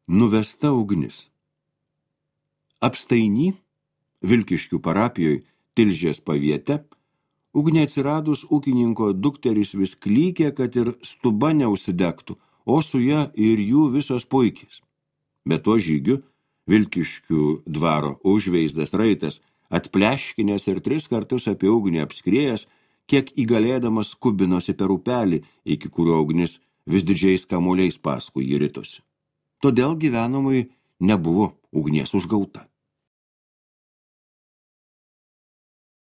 Nuvesta ugnis. Apstainy, Vilkiškių parapijoje Tilžės paviete, ugnė atsiradus ūkininko dukteris vis klykė, kad ir stuba neužsidegtų, o su ja ir jų visos puikis. Be to žygiu, Vilkiškių dvaro užveisdas raitas, atpleškinęs ir 3 kartus apie ugnį apskrėjęs, kiek įgalėdamas skubinosi per upelį, iki kurio ugnis vis didžiais kamuoliais paskui jį ritosi. Todėl gyvenamui nebuvo ugnies užgauta.